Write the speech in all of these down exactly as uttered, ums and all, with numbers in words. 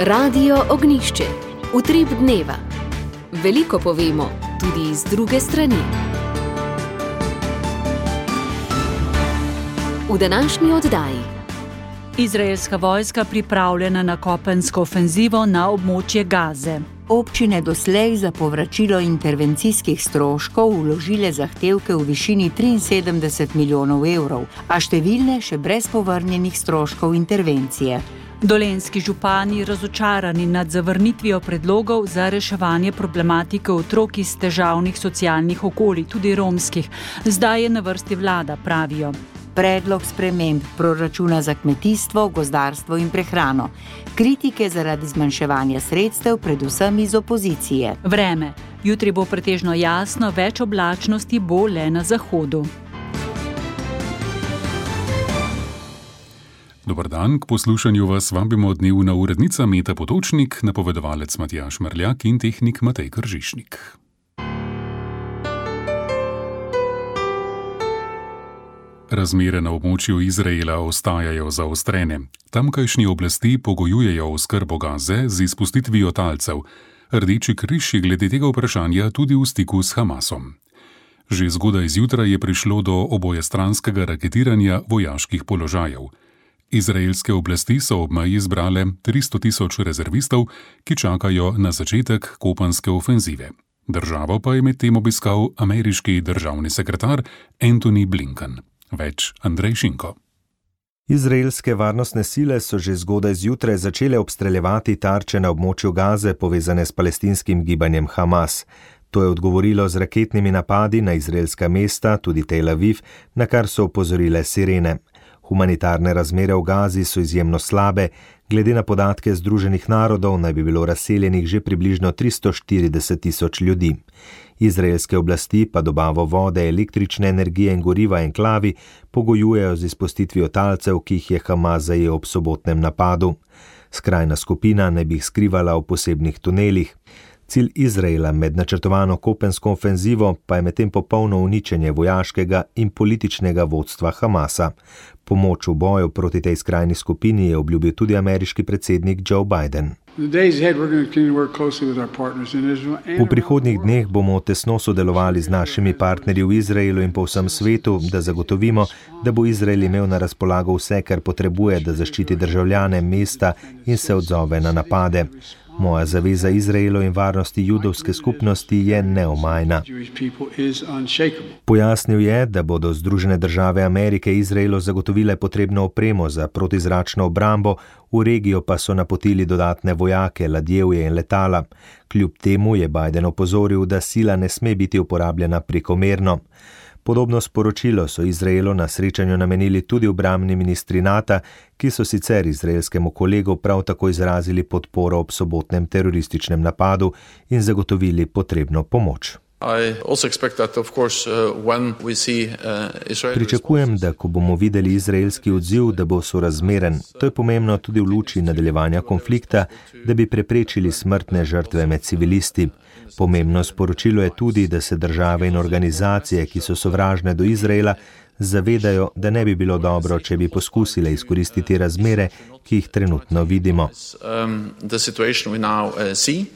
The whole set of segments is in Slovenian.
Radio Ognjišče. Utrip dneva. Veliko povemo, tudi iz druge strani. V današnji oddaji. Izraelska vojska pripravljena na kopensko ofenzivo na območje Gaze. Občine doslej za povračilo intervencijskih stroškov vložile zahtevke v višini triinsedemdeset milijonov evrov, a številne še brez povrnjenih stroškov intervencije. Dolenjski župani razočarani nad zavrnitvijo predlogov za reševanje problematike otrok iz težavnih socialnih okolij, tudi romskih. Zdaj je na vrsti vlada, pravijo. Predlog sprememb proračuna za kmetijstvo, gozdarstvo in prehrano. Kritike zaradi zmanjševanja sredstev, predvsem iz opozicije. Vreme. Jutri bo pretežno jasno, več oblačnosti bo le na zahodu. Dobar dan, k poslušanju vas vabimo dnevna urednica Meta Potočnik, napovedovalec Matjaž Merljak in tehnik Matej Kržišnik. Razmere na območju Izraela ostajajo zaostrene. Tamkajšnje oblasti pogojujejo oskrbo Gaze z izpustitvijo talcev. Rdeči križ je glede tega vprašanja tudi v stiku s Hamasom. Že zgodaj zjutraj je prišlo do obojestranskega raketiranja vojaških položajev. Izraelske oblasti so ob meji zbrale tristo tisoč rezervistov, ki čakajo na začetek kopenske ofenzive. Državo pa je medtem obiskal ameriški državni sekretar Antony Blinken. Več Andrej Šinko. Izraelske varnostne sile so že zgodaj zjutraj začele obstreljevati tarče na območju Gaze povezane s palestinskim gibanjem Hamas. To je odgovorilo z raketnimi napadi na izraelska mesta, tudi Tel Aviv, na kar so opozorile sirene. Humanitarne razmere v Gazi so izjemno slabe, glede na podatke Združenih narodov naj bi bilo razseljenih že približno tristo štirideset tisoč ljudi. Izraelske oblasti pa dobavo vode, električne energije in goriva enklavi pogojujejo z izpustitvijo talcev, ki jih je Hamas zajel ob sobotnem napadu. Skrajna skupina naj bi jih skrivala v posebnih tunelih. Cilj Izraela med načrtovano kopensko ofenzivo pa je medtem popolno uničenje vojaškega in političnega vodstva Hamasa. Pomoč v boju proti tej skrajni skupini je obljubil tudi ameriški predsednik Joe Biden. V prihodnjih dneh bomo tesno sodelovali z našimi partnerji v Izraelu in po vsem svetu, da zagotovimo, da bo Izrael imel na razpolago vse, kar potrebuje, da zaščiti državljane mesta in se odzove na napade. Moja zaveza Izraelu in varnosti judovske skupnosti je neomajna. Pojasnil je, da bodo Združene države Amerike Izraelu zagotovile potrebno opremo za protizračno obrambo, v regijo pa so napotili dodatne vojake, ladjevje in letala. Kljub temu je Biden opozoril, da sila ne sme biti uporabljena prekomerno. Podobno sporočilo so Izraelu na srečanju namenili tudi obrambni ministri NATO, ki so sicer izraelskemu kolegu prav tako izrazili podporo ob sobotnem terorističnem napadu in zagotovili potrebno pomoč. Pričakujem, da ko bomo videli izraelski odziv, da bo sorazmeren. To je pomembno tudi v luči nadaljevanja konflikta, da bi preprečili smrtne žrtve med civilisti. Pomembno sporočilo je tudi, da se države in organizacije, ki so sovražne do Izraela, zavedajo, da ne bi bilo dobro, če bi poskusile izkoristiti razmere, ki jih trenutno vidimo.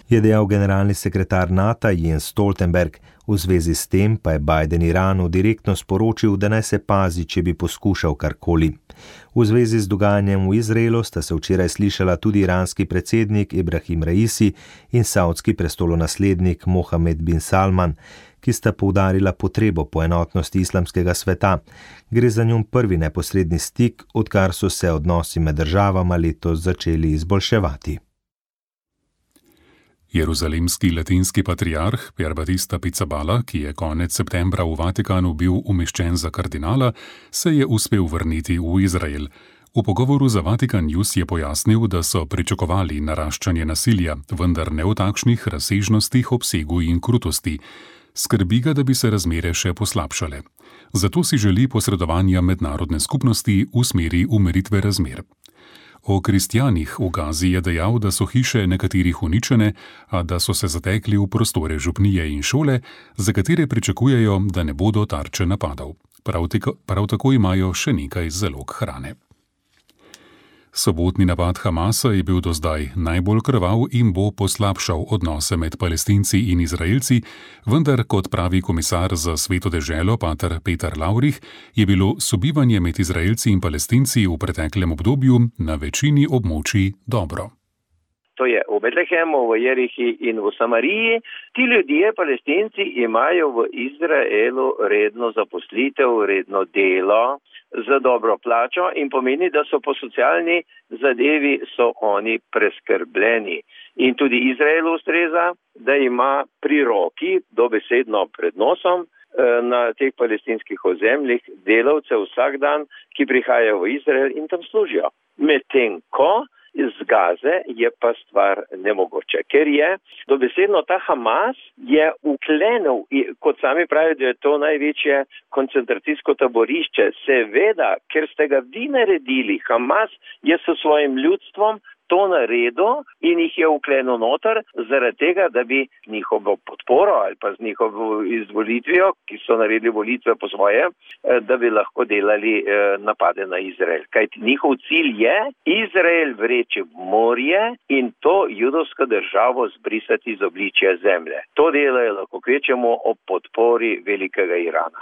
Je dejal generalni sekretar NATO Jens Stoltenberg. V zvezi s tem pa je Biden Iranu direktno sporočil, da naj se pazi, če bi poskušal karkoli. V zvezi z dogajanjem v Izraelu sta se včeraj slišala tudi iranski predsednik Ibrahim Raisi in saudski prestolonaslednik Mohamed bin Salman, ki sta poudarila potrebo po enotnosti islamskega sveta. Gre za njun prvi neposredni stik, odkar so se odnosi med državama letos začeli izboljševati. Jeruzalemski latinski patriarh Pier Battista Pizzaballa, ki je konec septembra v Vatikanu bil umeščen za kardinala, se je uspel vrniti v Izrael. V pogovoru za Vatikan News je pojasnil, da so pričakovali naraščanje nasilja, vendar ne v takšnih razsežnostih, obsegu in krutosti. Skrbi ga, da bi se razmere še poslabšale. Zato si želi posredovanja mednarodne skupnosti v smeri umiritve razmer. O kristjanih v Gazi je dejal, da so hiše nekaterih uničene, a da so se zatekli v prostore župnije in šole, za katere pričakujejo, da ne bodo tarče napadov. Prav tako, prav tako imajo še nekaj zalog hrane. Sobotni napad Hamasa je bil do zdaj najbolj krvav in bo poslabšal odnose med Palestinci in Izraelci, vendar, kot pravi komisar za Sveto deželo pater Peter Lavrih, je bilo sobivanje med Izraelci in Palestinci v preteklem obdobju na večini območij dobro. To je v Betlehemu, v Jerihi in v Samariji. Ti ljudje, Palestinci, imajo v Izraelu redno zaposlitev, redno delo za dobro plačo in pomeni, da so po socialni zadevi so oni preskrbljeni. In tudi Izraelu ustreza, da ima pri roki, dobesedno pred nosom, na teh palestinskih ozemljih delavce vsak dan, ki prihajajo v Izrael in tam služijo. Medtem ko z Gaze je pa stvar nemogoče, ker je dobesedno ta Hamas je uklenil, kot sami pravijo, da je to največje koncentracijsko taborišče. Seveda, ker ste ga vi naredili, Hamas je s svojim ljudstvom to naredil in jih je uklenil noter zaradi tega, da bi njihovo podporo ali pa z njihovo izvolitvijo, ki so naredili volitve po svoje, da bi lahko delali napade na Izrael. Kajti njihov cilj je Izrael vreči v morje in to judovsko državo zbrisati iz obličja zemlje. To delajo lahko kvečemo ob podpori velikega Irana.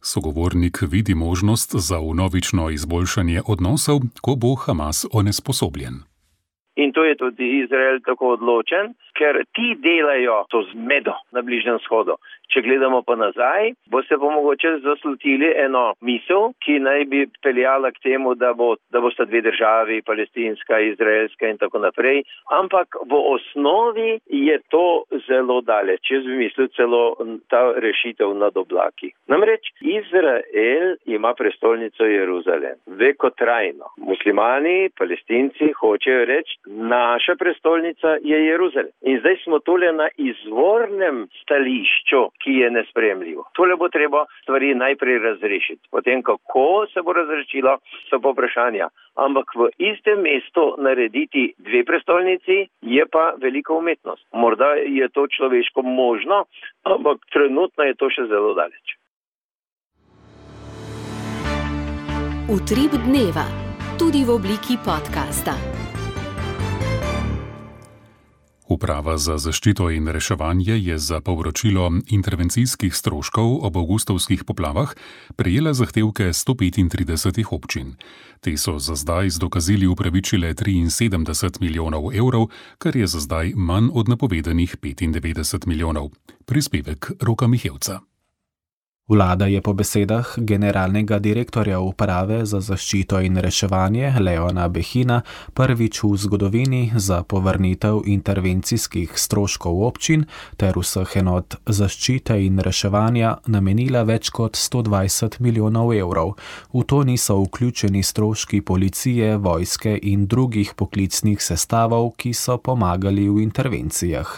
Sogovornik vidi možnost za vnovično izboljšanje odnosov, ko bo Hamas onesposobljen. In to je tudi Izrael tako odločen, ker ti delajo to zmedo na Bližnjem vzhodu. Če gledamo pa nazaj, boste pa mogoče zaslutili eno misel, ki naj bi peljala k temu, da bo, da bosta dve državi, palestinska, izraelska in tako naprej. Ampak v osnovi je to zelo daleč. Jaz bi mislil celo ta rešitev nad oblaki. Namreč Izrael ima prestolnico Jeruzalem, vekotrajno. Muslimani, palestinci hočejo reči, naša prestolnica je Jeruzalem. In zdaj smo tole na izvornem stališču, ki je nesprejemljivo. Tole bo treba stvari najprej razrešiti. Potem, kako se bo razrešilo, so pa vprašanja. Ampak v istem mestu narediti dve prestolnici je pa velika umetnost. Morda je to človeško možno, ampak trenutno je to še zelo daleč. Utrip dneva, tudi v obliki podcasta. Uprava za zaščito in reševanje je za povračilo intervencijskih stroškov ob avgustovskih poplavah prejela zahtevke sto petintrideset občin. Te so za zdaj z dokazili upravičile triinsedemdeset milijonov evrov, kar je za zdaj manj od napovedanih petindevetdeset milijonov. Prispevek Roka Mihevca. Vlada je po besedah generalnega direktorja uprave za zaščito in reševanje Leona Behina prvič v zgodovini za povrnitev intervencijskih stroškov občin ter vseh enot zaščite in reševanja namenila več kot sto dvajset milijonov evrov. V to niso vključeni stroški policije, vojske in drugih poklicnih sestavov, ki so pomagali v intervencijah.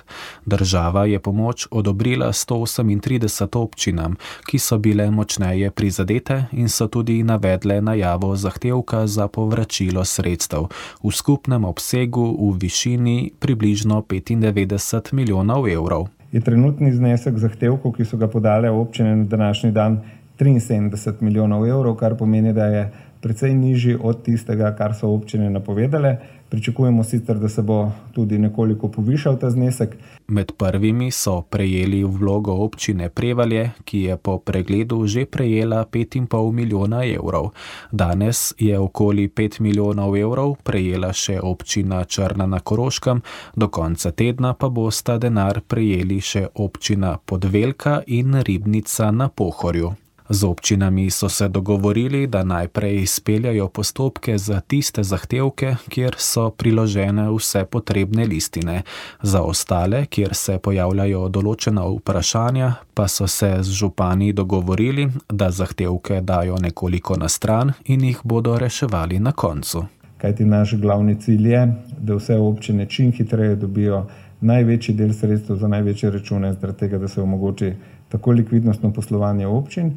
Država je pomoč odobrila sto osemintrideset občinam, ki so bile močneje prizadete in so tudi navedle najavo zahtevka za povračilo sredstev v skupnem obsegu v višini približno petindevetdeset milijonov evrov. Je trenutni znesek zahtevkov, ki so ga podale občine na današnji dan, triinsedemdeset milijonov evrov, kar pomeni, da je precej nižji od tistega, kar so občine napovedale. Pričakujemo sicer, da se bo tudi nekoliko povišal ta znesek. Med prvimi so prejeli vlogo občine Prevalje, ki je po pregledu že prejela pet in pol milijona evrov. Danes je okoli pet milijonov evrov prejela še občina Črna na Koroškem, do konca tedna pa bosta denar prejeli še občina Podvelka in Ribnica na Pohorju. Z občinami so se dogovorili, da najprej izpeljajo postopke za tiste zahtevke, kjer so priložene vse potrebne listine. Za ostale, kjer se pojavljajo določena vprašanja, pa so se z župani dogovorili, da zahtevke dajo nekoliko na stran in jih bodo reševali na koncu. Kajti naš glavni cilj je, da vse občine čim hitreje dobijo največji del sredstev za največje račune, zaradi tega, da se omogoči tako likvidnostno poslovanje občin,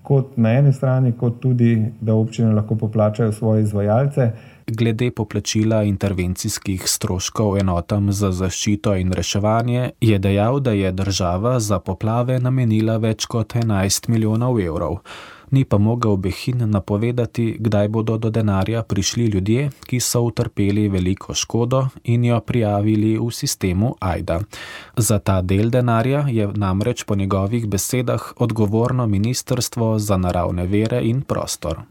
kot na eni strani, kot tudi, da občine lahko poplačajo svoje izvajalce. Glede poplačila intervencijskih stroškov enotam za zaščito in reševanje je dejal, da je država za poplave namenila več kot enajst milijonov evrov. Ni pa mogel Behin napovedati, kdaj bodo do denarja prišli ljudje, ki so utrpeli veliko škodo in jo prijavili v sistemu Ajda. Za ta del denarja je namreč po njegovih besedah odgovorno Ministrstvo za naravne vire in prostor.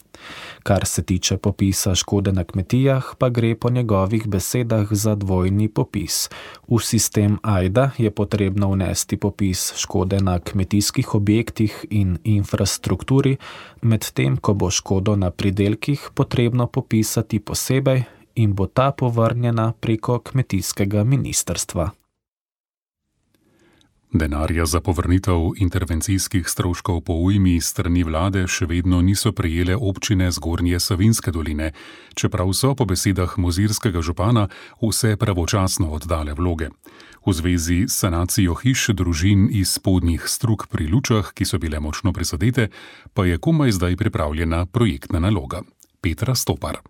Kar se tiče popisa škode na kmetijah, pa gre po njegovih besedah za dvojni popis. V sistem Ajda je potrebno vnesti popis škode na kmetijskih objektih in infrastrukturi, medtem ko bo škodo na pridelkih potrebno popisati posebej in bo ta povrnjena preko kmetijskega ministrstva. Denarja za povrnitev intervencijskih stroškov po ujmi strani vlade še vedno niso prejele občine Zgornje Savinjske doline, čeprav so po besedah mozirskega župana vse pravočasno oddale vloge. V zvezi s sanacijo hiš družin iz spodnjih strug pri Lučah, ki so bile močno prizadete, pa je komaj zdaj pripravljena projektna naloga. Petra Stopar.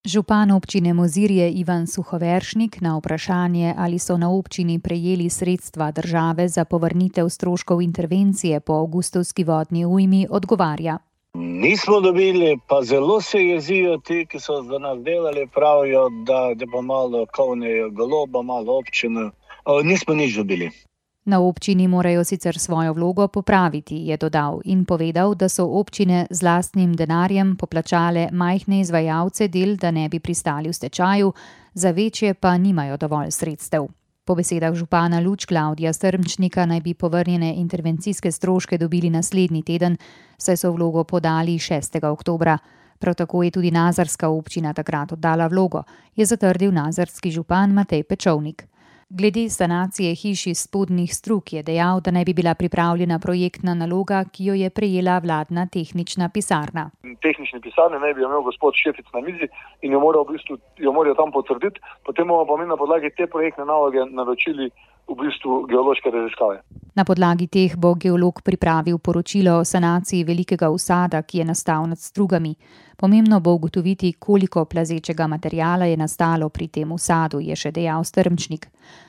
Župan občine Mozirje Ivan Suhoveršnik na vprašanje, ali so na občini prejeli sredstva države za povrnitev stroškov intervencije po avgustovski vodni ujmi, odgovarja. Nismo dobili, pa zelo se jezijo ti, ki so za nas delali, pravijo, da, da bo malo kovnejo goloba, malo občino. O, nismo nič dobili. Na občini morajo sicer svojo vlogo popraviti, je dodal in povedal, da so občine z lastnim denarjem poplačale majhne izvajalce del, da ne bi pristali v stečaju, za večje pa nimajo dovolj sredstev. Po besedah župana Luč Klavdija Strmčnika naj bi povrnjene intervencijske stroške dobili naslednji teden, saj so vlogo podali šestega oktobra. Prav tako je tudi nazarska občina takrat oddala vlogo, je zatrdil nazarski župan Matej Pečovnik. Glede sanacije hiš iz spodnjih strug je dejal, da naj bi bila pripravljena projektna naloga, ki jo je prejela vladna tehnična pisarna. Tehnične pisarne naj bi imel gospod Šefic na mizi in jo morajo v bistvu, jo morajo tam potrditi, potem bomo pa mi na podlagi te projektne naloge naročili v bistvu geološke raziskave. Na podlagi teh bo geolog pripravil poročilo o sanaciji velikega usada, ki je nastal nad strugami. Pomembno bo ugotoviti, koliko plazečega materijala je nastalo pri tem usadu, je še dejal Strmčnik.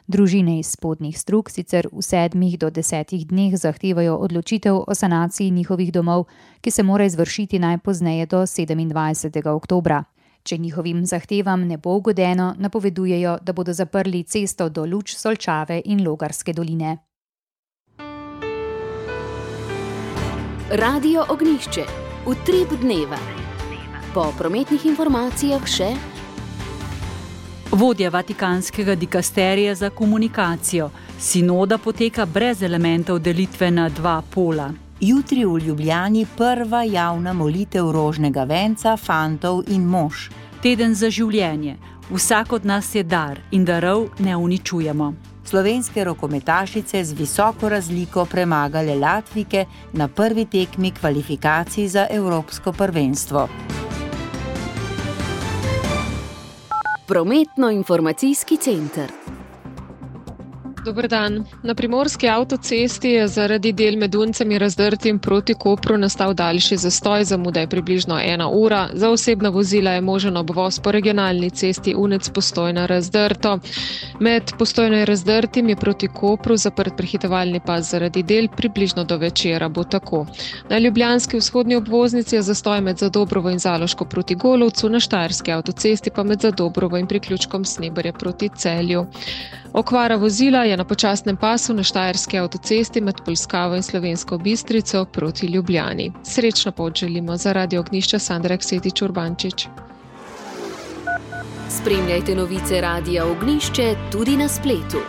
Družine iz spodnjih strug sicer v sedmih do desetih dneh zahtevajo odločitev o sanaciji njihovih domov, ki se mora izvršiti najpozneje do sedemindvajsetega oktobra. Če njihovim zahtevam ne bo ugodeno, napovedujejo, da bodo zaprli cesto do Luč, Solčave in Logarske doline. Radio Ognjišče. Utrip dneva. Po prometnih informacijah še vodja Vatikanskega dikasterija za komunikacijo. Sinoda poteka brez elementov delitve na dva pola. Jutri v Ljubljani prva javna molitev rožnega venca, fantov in mož. Teden za življenje. Vsak od nas je dar in darov ne uničujemo. Slovenske rokometašice z visoko razliko premagale Latvike na prvi tekmi kvalifikacij za Evropsko prvenstvo. Prometno-informacijski center. Dober dan. Na primorski avtocesti je zaradi del med Duncem in Razdrtim proti Kopru nastal daljši zastoj, zamuda je približno ena ura. Za osebna vozila je možen obvoz po regionalni cesti Unec-Postojna Razdrto. Med Postojno in Razdrtim je proti Kopru zaprt prehitevalni pas zaradi del, približno do večera bo tako. Na ljubljanski vzhodni obvoznici je zastoj med Zadobrovo in Zaloško proti Golovcu, na štajerski avtocesti pa med Zadobrovo in priključkom Sneberje proti Celju. Okvara vozila je na počasnem pasu na štajerski avtocesti med Polskavo in Slovensko Bistrico proti Ljubljani. Srečno pot želimo za Radio Ognjišče Sandra Ksetič Urbančič. Spremljajte novice Radia Ognjišče tudi na spletu.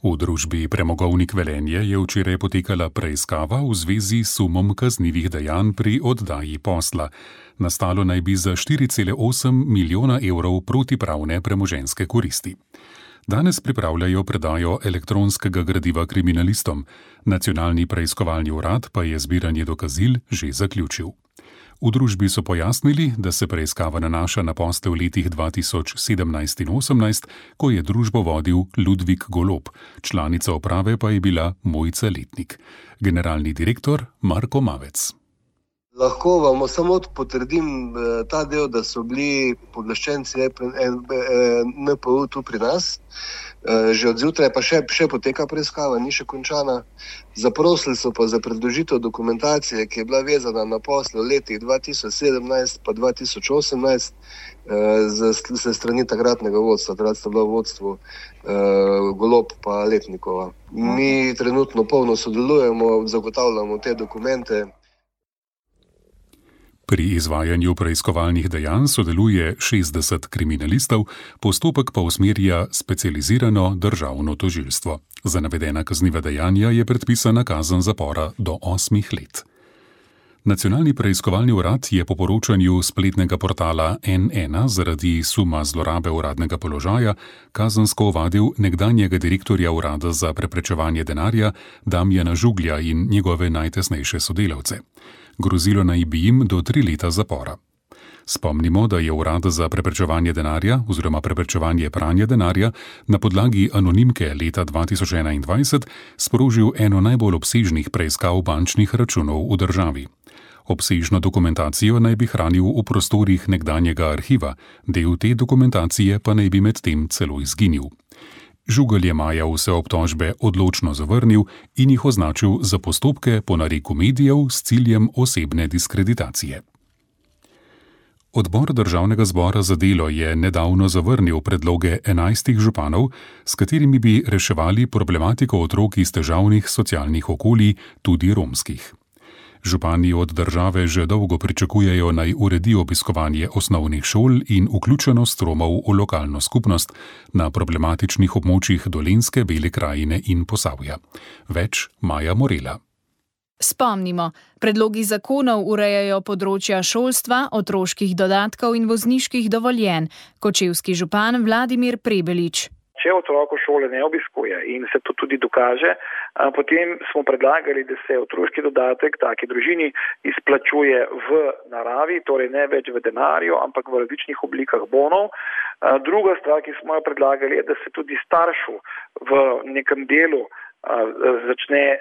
V družbi Premogovnik Velenje je včeraj potekala preiskava v zvezi s sumom kaznivih dejanj pri oddaji posla. Nastalo naj bi za štiri cele osem milijona evrov protipravne premoženjske koristi. Danes pripravljajo predajo elektronskega gradiva kriminalistom. Nacionalni preiskovalni urad pa je zbiranje dokazil že zaključil. V družbi so pojasnili, da se preiskava nanaša na posle v letih dva tisoč sedemnajst in osemnajst, ko je družbo vodil Ludvik Golob, članica uprave pa je bila Mojca Letnik. Generalni direktor Marko Mavec. Lahko vam samo potrdim ta del, da so bili pooblaščenci N P U tu pri nas. Že od zjutraj pa še, še poteka preiskava, ni še končana. Zaprosili so pa za predložitev dokumentacije, ki je bila vezana na posle v letih dva tisoč sedemnajst pa dva tisoč osemnajst ze strani takratnega vodstva. Takrat sta bila v vodstvu Golob pa Letnikova. Mi trenutno polno sodelujemo, zagotavljamo te dokumente. Pri izvajanju preiskovalnih dejanj sodeluje šestdeset kriminalistov, postopek pa usmerja specializirano državno tožilstvo. Za navedena kazniva dejanja je predpisana kazen zapora do osmih let. Nacionalni preiskovalni urad je po poročanju spletnega portala N ena zaradi suma zlorabe uradnega položaja kazensko ovadil nekdanjega direktorja Urada za preprečevanje denarja Damjana Žuglja in njegove najtesnejše sodelavce. Grozilo naj bi jim do tri leta zapora. Spomnimo, da je Urad za preprečevanje denarja oziroma preprečevanje pranja denarja na podlagi anonimke leta dva tisoč enaindvajset sprožil eno najbolj obsežnih preiskav bančnih računov v državi. Obsežno dokumentacijo naj bi hranil v prostorih nekdanjega arhiva, del te dokumentacije pa naj bi medtem celo izginil. Žugelj je maja vse obtožbe odločno zavrnil in jih označil za postopke po nareku medijev s ciljem osebne diskreditacije. Odbor Državnega zbora za delo je nedavno zavrnil predloge enajstih županov, s katerimi bi reševali problematiko otrok iz težavnih socialnih okolij, tudi romskih. Župani od države že dolgo pričakujejo, naj uredi obiskovanje osnovnih šol in vključenost Romov v lokalno skupnost na problematičnih območjih Dolenjske, Bele krajine in Posavja. Več Maja Morela. Spomnimo, predlogi zakonov urejajo področja šolstva, otroških dodatkov in vozniških dovoljenj. Kočevski župan Vladimir Prebelič. Če otrok v šole ne obiskuje in se to tudi dokaže, potem smo predlagali, da se otroški dodatek taki družini izplačuje v naravi, torej ne več v denarju, ampak v različnih oblikah bonov. Druga stvar, ki smo jo predlagali, je, da se tudi staršu v nekem delu začne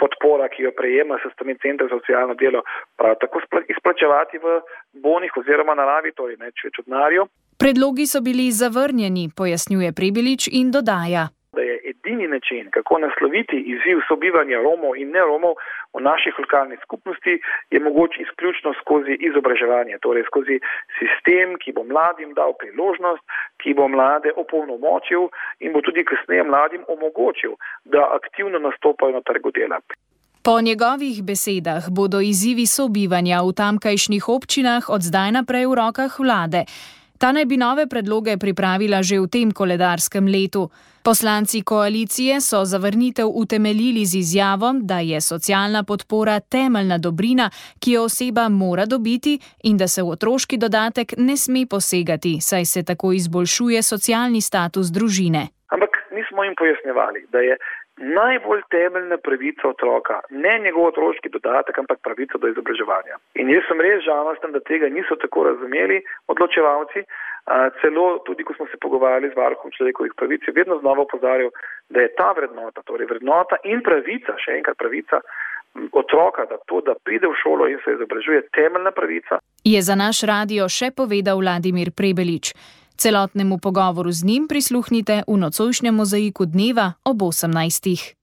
podpora, ki jo prejema s strani Centra za socialno delo, prav tako izplačevati v bonih oziroma naravi, torej ne več v denarju. Predlogi so bili zavrnjeni, pojasnjuje Prebelič in dodaja, da je edini način, kako nasloviti izziv sobivanja Romov in ne Romov v naših lokalnih skupnosti, je mogoče izključno skozi izobraževanje, torej skozi sistem, ki bo mladim dal priložnost, ki bo mlade opolnomočil in bo tudi kasneje mladim omogočil, da aktivno nastopajo na trgu dela. Po njegovih besedah bodo izzivi sobivanja v tamkajšnjih občinah od zdaj naprej v rokah vlade. Ta naj bi nove predloge pripravila že v tem koledarskem letu. Poslanci koalicije so zavrnitev utemeljili z izjavo, da je socialna podpora temeljna dobrina, ki jo oseba mora dobiti in da se v otroški dodatek ne sme posegati, saj se tako izboljšuje socialni status družine. Ampak mi smo jim pojasnjevali, da je najbolj temeljna pravica otroka ne njegov otroški dodatek, ampak pravica do izobraževanja. In jaz sem res žalosten, da tega niso tako razumeli odločevalci. Celo tudi, ko smo se pogovarjali z varuhom človekovih pravic, je vedno znova opozarjal, da je ta vrednota, torej vrednota in pravica, še enkrat pravica otroka, da to, da pride v šolo in se izobražuje, temeljna pravica. Je za naš radio še povedal Vladimir Prebelič. Celotnemu pogovoru z njim prisluhnite v nocojšnjem mozaiku dneva ob osemnajstih.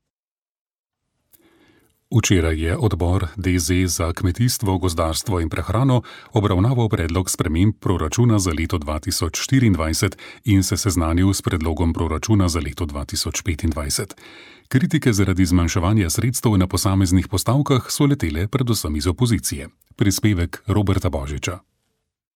Včeraj je odbor D Z za kmetijstvo, gozdarstvo in prehrano obravnaval predlog sprememb proračuna za leto dva tisoč štiriindvajset in se seznanil s predlogom proračuna za leto dva tisoč petindvajset. Kritike zaradi zmanjševanja sredstev na posameznih postavkah so letele predvsem iz opozicije. Prispevek Roberta Božiča.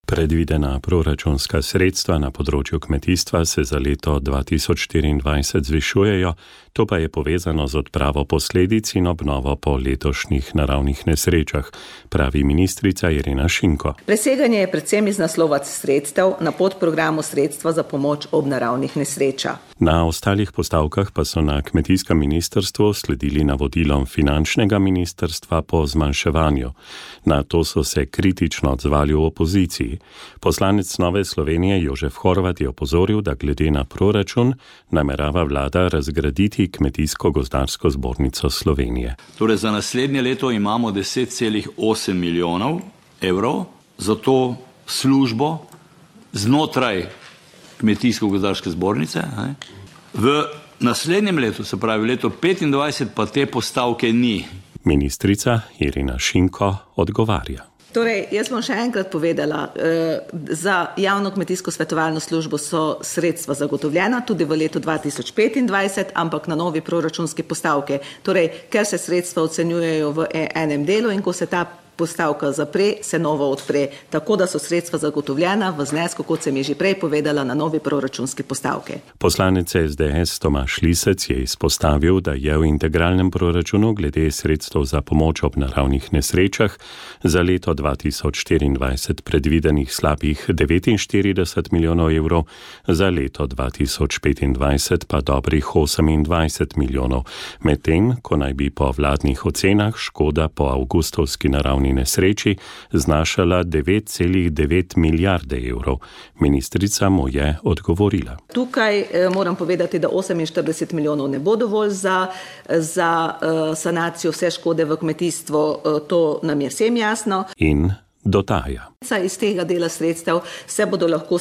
Predvidena proračunska sredstva na področju kmetijstva se za leto dva tisoč štiriindvajset zvišujejo, to pa je povezano z odpravo posledic in obnovo po letošnjih naravnih nesrečah, pravi ministrica Irena Šinko. Preseganje je predvsem iz naslova sredstev na podprogramu sredstva za pomoč ob naravnih nesrečah. Na ostalih postavkah pa so na kmetijskem ministrstvu sledili navodilom finančnega ministrstva po zmanjševanju. Na to so se kritično odzvali v opoziciji. Poslanec Nove Slovenije Jožef Horvat je opozoril, da glede na proračun namerava vlada razgraditi Kmetijsko-gozdarsko zbornico Slovenije. Torej za naslednje leto imamo deset celih osem milijonov evrov za to službo znotraj Kmetijsko-gozdarske zbornice. Ne? V naslednjem letu, se pravi leto petindvajset, pa te postavke ni. Ministrica Irina Šinko odgovarja. Torej, jaz bom še enkrat povedala, za javno kmetijsko svetovalno službo so sredstva zagotovljena tudi v letu dva tisoč petindvajset, ampak na novi proračunski postavke. Torej, ker se sredstva ocenjujejo v enem delu in ko se ta postavka zapre, se novo odpre. Tako da so sredstva zagotovljena v znesku, kot sem je že prej povedala, na novi proračunski postavke. Poslanec S D S Tomaž Lisec je izpostavil, da je v integralnem proračunu glede sredstev za pomoč ob naravnih nesrečah za leto dva tisoč štiriindvajset predvidenih slabih devetinštirideset milijonov evrov, za leto dva tisoč petindvajset pa dobrih osemindvajset milijonov, medtem ko naj bi po vladnih ocenah škoda po avgustovski naravni nesreči znašala devet celih devet milijarde evrov. Ministrica mu je odgovorila. Tukaj eh, moram povedati, da oseminštirideset milijonov ne bo dovolj za, za uh, sanacijo vse škode v kmetijstvu, uh, to nam je vsem jasno. In dodaja. Iz tega dela sredstev se bodo lahko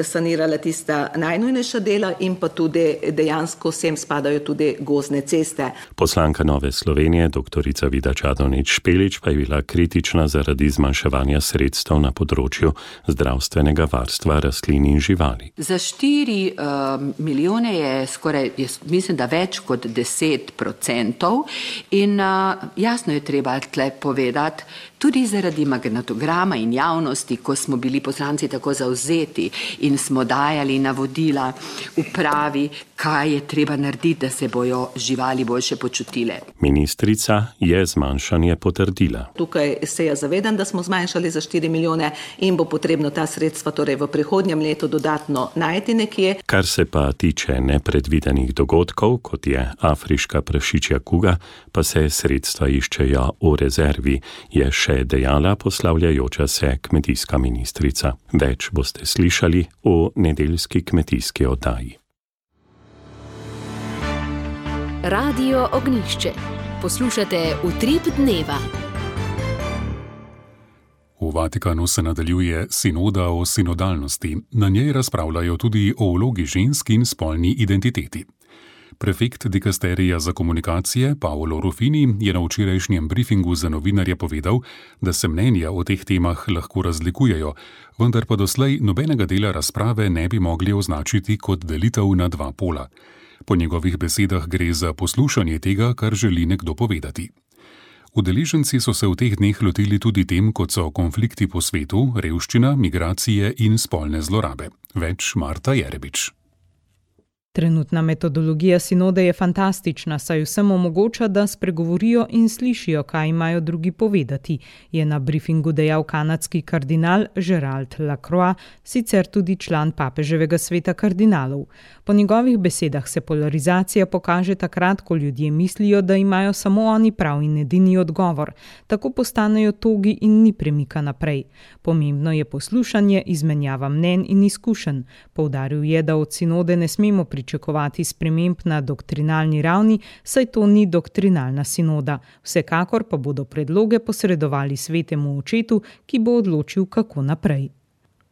sanirale tista najnujnejša dela in pa tudi dejansko sem spadajo tudi gozdne ceste. Poslanka Nove Slovenije, doktorica Vida Čadonič Špelič, pa je bila kritična zaradi zmanjševanja sredstev na področju zdravstvenega varstva rastlin in živali. Za štiri uh, milijone je skoraj, jaz mislim, da več kot deset procentov in uh, jasno je treba tle povedati, tudi zaradi magnetograma in javnosti, ko smo bili poslanci tako zavzeti in smo dajali navodila upravi, kaj je treba narediti, da se bojo živali boljše počutile. Ministrica je zmanjšanje potrdila. Tukaj se je zavedam, da smo zmanjšali za štiri milijone in bo potrebno ta sredstva torej v prihodnjem letu dodatno najti nekje. Kar se pa tiče nepredvidenih dogodkov, kot je afriška prašičja kuga, pa se sredstva iščejo v rezervi, je še dejala poslavljajoča se kmetijska ministrica. Več boste slišali v nedeljski kmetijski oddaji. Radio Ognjišče. Poslušate Utrip dneva. V Vatikanu se nadaljuje sinoda o sinodalnosti. Na njej razpravljajo tudi o vlogi žensk in spolni identiteti. Prefekt dikasterija za komunikacije Paolo Rufini je na včerajšnjem briefingu za novinarje povedal, da se mnenja o teh temah lahko razlikujejo, vendar pa doslej nobenega dela razprave ne bi mogli označiti kot delitev na dva pola. Po njegovih besedah gre za poslušanje tega, kar želi nekdo povedati. Udeleženci so se v teh dneh lotili tudi tem, kot so konflikti po svetu, revščina, migracije in spolne zlorabe. Več Marta Jerebič. Trenutna metodologija sinode je fantastična, saj vsem omogoča, da spregovorijo in slišijo, kaj imajo drugi povedati, je na briefingu dejal kanadski kardinal Gerald Lacroix, sicer tudi član papeževega sveta kardinalov. Po njegovih besedah se polarizacija pokaže takrat, ko ljudje mislijo, da imajo samo oni prav in edini odgovor. Tako postanejo togi in ni premika naprej. Pomembno je poslušanje, izmenjava mnenj in izkušenj. Poudaril je, da od sinode ne smemo pričakovati sprememb na doktrinalni ravni, saj to ni doktrinalna sinoda. Vsekakor pa bodo predloge posredovali svetemu očetu, ki bo odločil, kako naprej.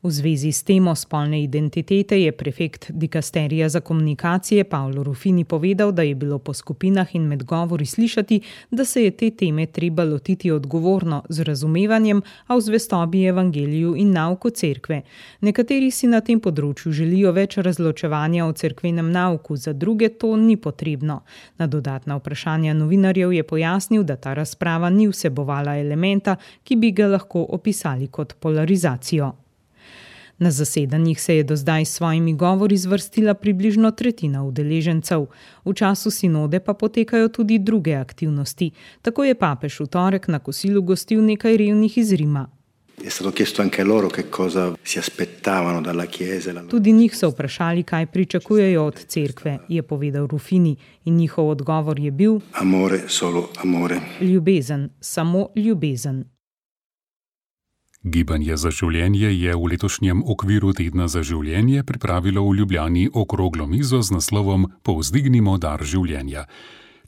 V zvezi s temo spolne identitete je prefekt dikasterija za komunikacije Paolo Rufini povedal, da je bilo po skupinah in med govori slišati, da se je te teme treba lotiti odgovorno, z razumevanjem, a v zvestobi evangeliju in nauku cerkve. Nekateri si na tem področju želijo več razločevanja o cerkvenem nauku, za druge to ni potrebno. Na dodatna vprašanja novinarjev je pojasnil, da ta razprava ni vsebovala elementa, ki bi ga lahko opisali kot polarizacijo. Na zasedanjih se je do zdaj s svojimi govori zvrstila približno tretjina udeležencev. V času sinode pa potekajo tudi druge aktivnosti. Tako je papež v torek na kosilu gostil nekaj revnih iz Rima. Tudi njih so vprašali, kaj pričakujejo od cerkve, je povedal Rufini, in njihov odgovor je bil: amore, solo amore. Ljubezen, samo ljubezen. Gibanje za življenje je v letošnjem okviru Tedna za življenje pripravilo v Ljubljani okroglo mizo z naslovom Povzdignimo dar življenja.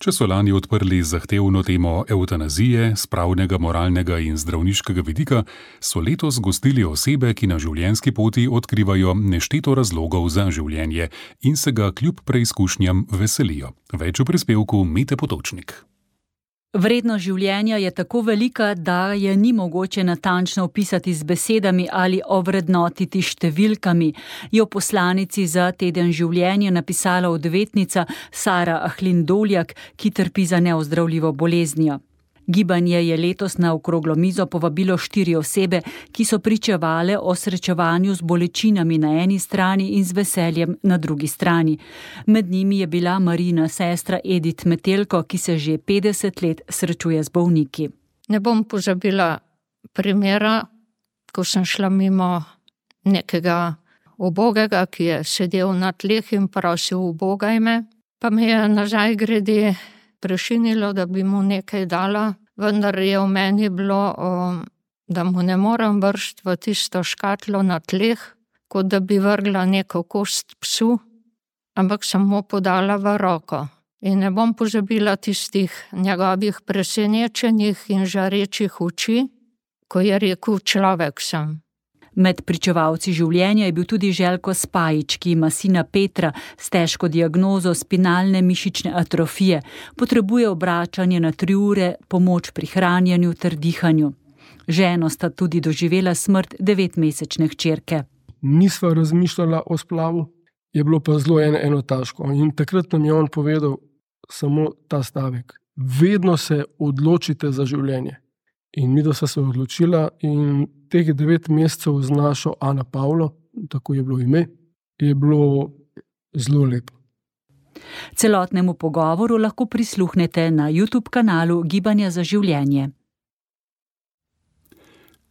Če so lani odprli zahtevno temo evtanazije, s pravnega, moralnega in zdravniškega vidika, so letos gostili osebe, ki na življenjski poti odkrivajo nešteto razlogov za življenje in se ga kljub preizkušnjam veselijo. Več v prispevku Mete Potočnik. Vrednost življenja je tako velika, da je ni mogoče natančno opisati z besedami ali ovrednotiti številkami, je v poslanici za Teden življenja napisala odvetnica Sara Ahlin Doljak, ki trpi za neozdravljivo boleznijo. Gibanje je letos na okroglo mizo povabilo štiri osebe, ki so pričevale o srečevanju z bolečinami na eni strani in z veseljem na drugi strani. Med njimi je bila Marina sestra Edith Metelko, ki se že petdeset let srečuje z bolniki. Ne bom pozabila primera, ko sem šla mimo nekega ubogega, ki je sedel na tleh in prosil ubogaj me, pa me je nazaj grede prešinilo, da bi mu nekaj dala, vendar je v meni bilo, da mu ne morem vršiti v tisto škatlo na tleh, kot da bi vrgla neko kost psu, ampak sem mu podala v roko. In ne bom pozabila tistih njegovih presenečenih in žarečih oči, ko je rekel, človek sem. Med pričevalci življenja je bil tudi Željko Spajič, ki ima sina Petra s težko diagnozo spinalne mišične atrofije. Potrebuje obračanje na tri ure, pomoč pri hranjenju ter dihanju. Ženo sta tudi doživela smrt devetmesečne hčerke. Nisva razmišljala o splavu, je bilo pa zelo eno, eno težko. In takrat nam je on povedal samo ta stavek. Vedno se odločite za življenje. In mi, da sva se odločila in teh devet mesecev z našo Ana Pavlo, tako je bilo ime, je bilo zelo lepo. Celotnemu pogovoru lahko prisluhnete na YouTube kanalu Gibanja za življenje.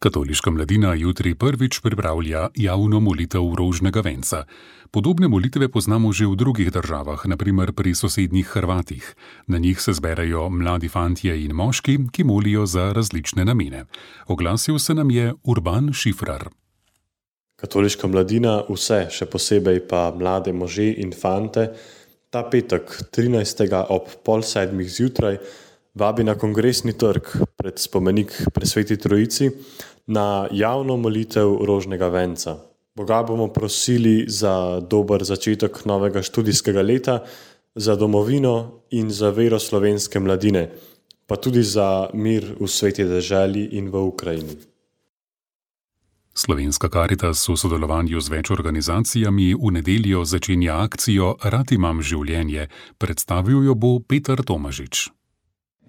Katoliška mladina jutri prvič pripravlja javno molitev rožnega venca. Podobne molitve poznamo že v drugih državah, na primer pri sosednjih Hrvatih. Na njih se zberejo mladi fantje in moški, ki molijo za različne namene. Oglasil se nam je Urban Šifrar. Katoliška mladina, vse, še posebej pa mlade može in fante, ta petek trinajstega ob pol sedmih zjutraj vabi na Kongresni trg pred spomenik Presveti Trojici na javno molitev rožnega venca. Boga bomo prosili za dober začetek novega študijskega leta, za domovino in za vero slovenske mladine, pa tudi za mir v sveti deželi in v Ukrajini. Slovenska Karitas v sodelovanju z več organizacijami v nedeljo začenja akcijo Rad imam življenje. Predstavil jo bo Peter Tomažič.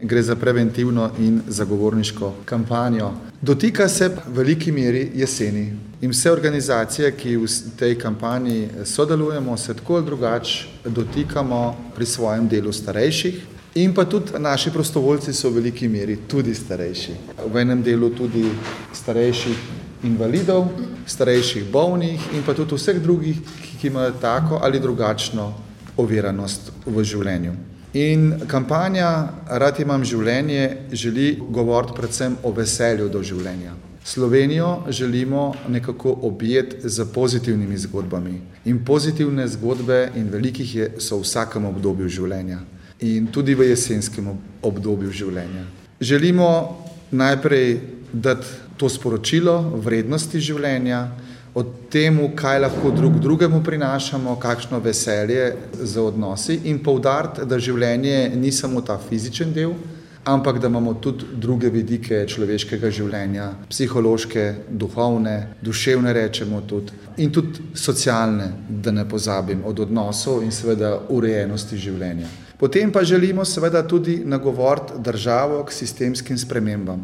Gre za preventivno in zagovorniško kampanjo. Dotika se v veliki meri jeseni. In vse organizacije, ki v tej kampanji sodelujemo, se tako ali drugače dotikamo pri svojem delu starejših. In pa tudi naši prostovoljci so v veliki meri tudi starejši. V enem delu tudi starejših invalidov, starejših bolnih in pa tudi vseh drugih, ki imajo tako ali drugačno oviranost v življenju. In kampanja Rad imam življenje želi govoriti predvsem o veselju do življenja. Slovenijo želimo nekako objeti z pozitivnimi zgodbami. In pozitivne zgodbe in velikih je, so v vsakem obdobju življenja. In tudi v jesenskem obdobju življenja. Želimo najprej dati to sporočilo vrednosti življenja, o temu, kaj lahko drug drugemu prinašamo, kakšno veselje za odnosi in poudariti, da življenje ni samo ta fizičen del, ampak da imamo tudi druge vidike človeškega življenja, psihološke, duhovne, duševne rečemo tudi in tudi socialne, da ne pozabim, od odnosov in seveda urejenosti življenja. Potem pa želimo seveda tudi nagovoriti državo k sistemskim spremembam.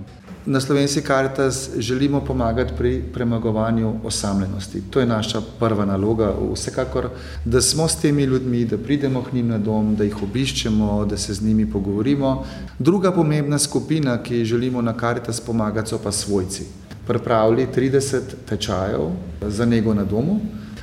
Na Slovenski Karitas želimo pomagati pri premagovanju osamljenosti. To je naša prva naloga, vsekakor, da smo s temi ljudmi, da pridemo k njim na dom, da jih obiščemo, da se z njimi pogovorimo. Druga pomembna skupina, ki želimo na Karitas pomagati, so pa svojci. Pripravili trideset tečajev za nego na domu,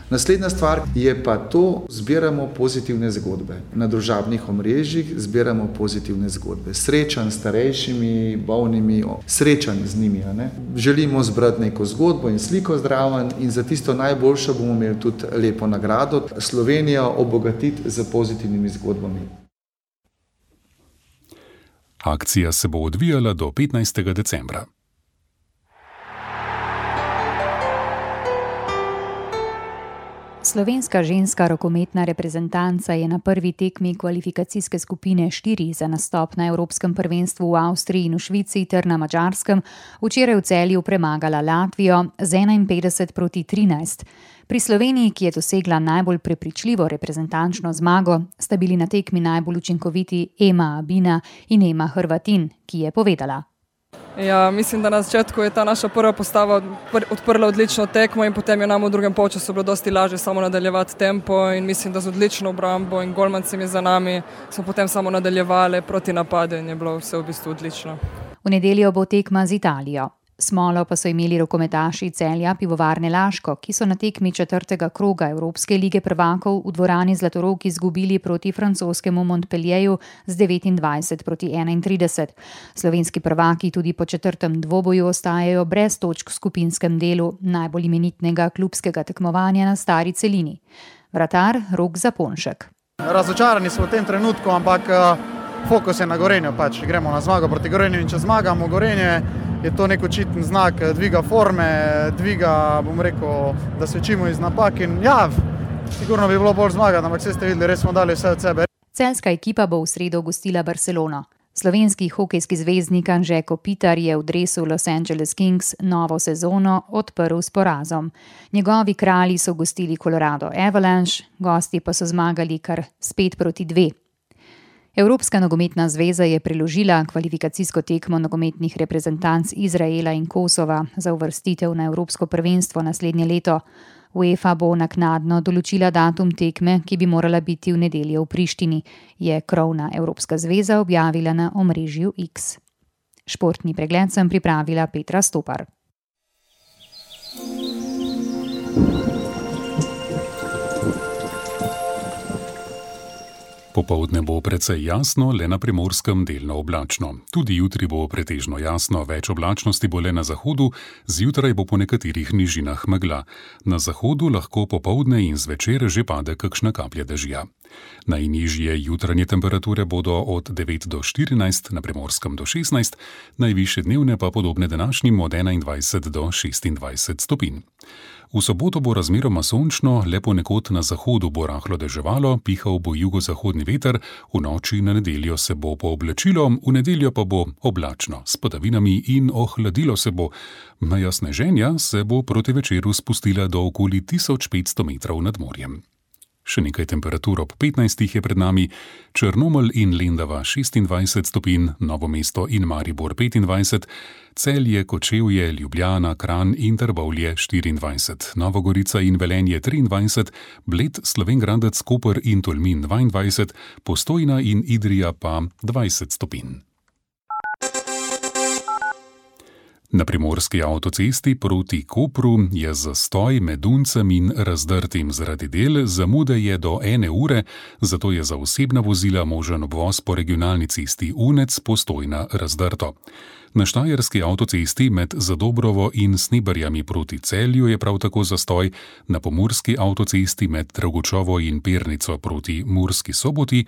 Naslednja stvar je pa to, zbiramo pozitivne zgodbe. Na družabnih omrežjih zbiramo pozitivne zgodbe. Srečanj s starejšimi, bolnimi, srečanj z njimi. Ne? Želimo zbrati neko zgodbo in sliko zraven in za tisto najboljše bomo imeli tudi lepo nagrado. Slovenijo obogatiti z pozitivnimi zgodbami. Akcija se bo odvijala do petnajstega decembra. Slovenska ženska rokometna reprezentanca je na prvi tekmi kvalifikacijske skupine štiri za nastop na Evropskem prvenstvu v Avstriji in v Švici ter na Madžarskem včeraj v Celju premagala Latvijo z enainpetdeset proti trinajst. Pri Sloveniji, ki je dosegla najbolj prepričljivo reprezentančno zmago, sta bili na tekmi najbolj učinkoviti Ema Abina in Ema Hrvatin, ki je povedala. Ja, mislim, da na začetku je ta naša prva postava odprla odlično tekmo in potem je nam v drugem polčasu bilo dosti lažje samo nadaljevati tempo in mislim, da z odlično obrambo in golmancem je za nami smo potem samo nadaljevali proti napadu in je bilo vse v bistvu odlično. V nedeljo bo tekma z Italijo. Smolo pa so imeli rokometaši Celja Pivovarne Laško, ki so na tekmi četrtega kroga Evropske lige prvakov v dvorani Zlatorog izgubili proti francoskemu Montpellieru z devetindvajset proti enaintrideset. Slovenski prvaki tudi po četrtem dvoboju ostajajo brez točk v skupinskem delu najbolj imenitnega klubskega tekmovanja na stari celini. Vratar Rok Zaponšek. Razočarani smo v tem trenutku, ampak fokus je na Gorenju, pač gremo na zmago proti Gorenju in če zmagamo Gorenje, je to nek očiten znak dviga forme, dviga, bom rekel, da se učimo iz napak in ja, sigurno bi bilo bolj zmagati, ampak vse ste videli, res smo dali vse od sebe. Celjska ekipa bo v sredo gostila Barcelono. Slovenski hokejski zvezdnik Anže Kopitar je v dresu Los Angeles Kings novo sezono odprl s porazom. Njegovi kralji so gostili Colorado Avalanche, gosti pa so zmagali kar s pet proti dve. Evropska nogometna zveza je preložila kvalifikacijsko tekmo nogometnih reprezentanc Izraela in Kosova za uvrstitev na Evropsko prvenstvo naslednje leto. UEFA bo naknadno določila datum tekme, ki bi morala biti v nedeljo v Prištini, je krovna Evropska zveza objavila na omrežju X. Športni pregled sem pripravila Petra Stopar. Popoldne bo precej jasno, le na Primorskem delno oblačno. Tudi jutri bo pretežno jasno, več oblačnosti bo le na zahodu, zjutraj bo po nekaterih nižinah megla. Na zahodu lahko popoldne in zvečer že pade kakšna kaplja dežja. Najnižje jutranje temperature bodo od devet do štirinajst, na Primorskem do šestnajst, najvišje dnevne pa podobne današnjim od enaindvajset do šestindvajset stopinj. V soboto bo razmeroma sončno, le ponekod na zahodu bo rahlo deževalo, pihal bo jugozahodni veter, v noči na nedeljo se bo pooblačilo, v nedeljo pa bo oblačno, s padavinami in ohladilo se bo. Meja sneženja se bo proti večeru spustila do okoli tisoč petsto metrov nad morjem. Še nekaj temperatur ob petnajstih je pred nami, Črnomelj in Lendava šestindvajset stopinj, Novo mesto in Maribor petindvajset, Celje, Kočevje, Ljubljana, Kranj in Trbovlje štiriindvajset, Nova Gorica in Velenje triindvajset, Bled, Slovenj Gradec, Koper in Tolmin dvaindvajset, Postojna in Idrija pa dvajset stopinj. Na primorski avtocesti proti Kopru je zastoj med Duncem in Razdrtim zaradi del, zamude je do ene ure, zato je za osebna vozila možen obvoz po regionalni cesti Unec Postojna Razdrto. Na štajerski avtocesti med Zadobrovo in Sneberjami proti Celju je prav tako zastoj, na pomurski avtocesti med Dragočovo in Pernico proti Murski Soboti,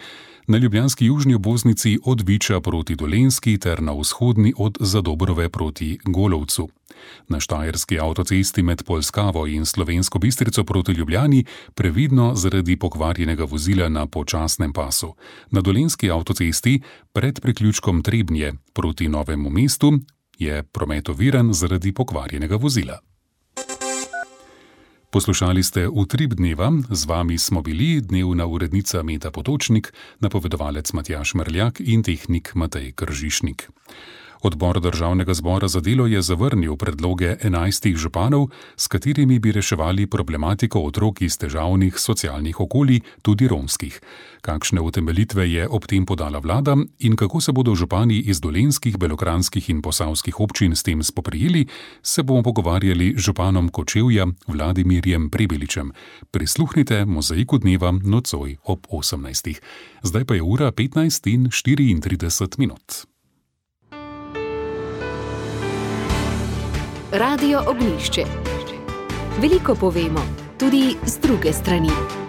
na ljubljanski južni obvoznici od Viča proti Dolenjski ter na vzhodni od Zadobrove proti Golovcu. Na štajerski avtocesti med Polskavo in Slovensko Bistrico proti Ljubljani previdno zaradi pokvarjenega vozila na počasnem pasu. Na dolenjski avtocesti pred priključkom Trebnje proti Novemu mestu je promet oviran zaradi pokvarjenega vozila. Poslušali ste Utrip dneva, z vami smo bili dnevna urednica Meta Potočnik, napovedovalec Matjaž Mrljak in tehnik Matej Kržišnik. Odbor državnega zbora za delo je zavrnil predloge enajstih županov, s katerimi bi reševali problematiko otrok iz težavnih socialnih okolij, tudi romskih. Kakšne utemeljitve je ob tem podala vlada in kako se bodo župani iz dolenjskih, belokranjskih in posavskih občin s tem spoprijeli, se bomo pogovarjali z županom Kočevja Vladimirjem Prebeličem. Prisluhnite Mozaiku dneva nocoj ob osemnajstih. Zdaj pa je ura petnajst in štiriintrideset minut. Radio Ognjišče. Veliko povemo, tudi z druge strani.